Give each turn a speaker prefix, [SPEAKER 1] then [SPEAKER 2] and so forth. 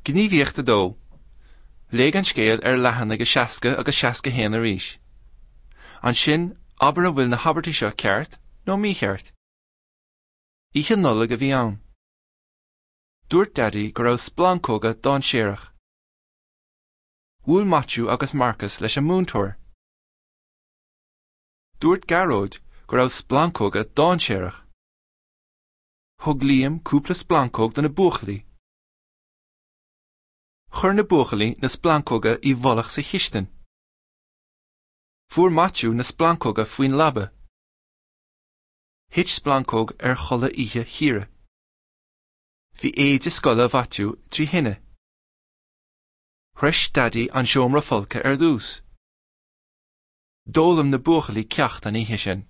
[SPEAKER 1] Gníomhaíocht 2. Léigh an scéal ar leathanaigh 60 agus 61 arís. Ansin, abair an bhfuil na habairtí seo ceart nó mícheart. Oíche Nollag a bhí ann. Dúirt Daidí go raibh splancóga dainséarach. Bhuail Maitiú agus Marcas leis an múinteoir. Dúirt Gearóid go raibh splancóga dainséarach. Thug Liam cúpla splancóg do na buachaillí. Chuir na buachaillí na splancóga i bhfolach sa chistin. Fuair Maitiú na splancóga faoin leaba. Thit splancóg ar chulaith oíche Chiara. Bhí éide scoile Mhaitiú trí thine. Shroich Daidí an seomra folctha ar dtús. D'fhoghlaim na buachaillí ceacht an oíche sin.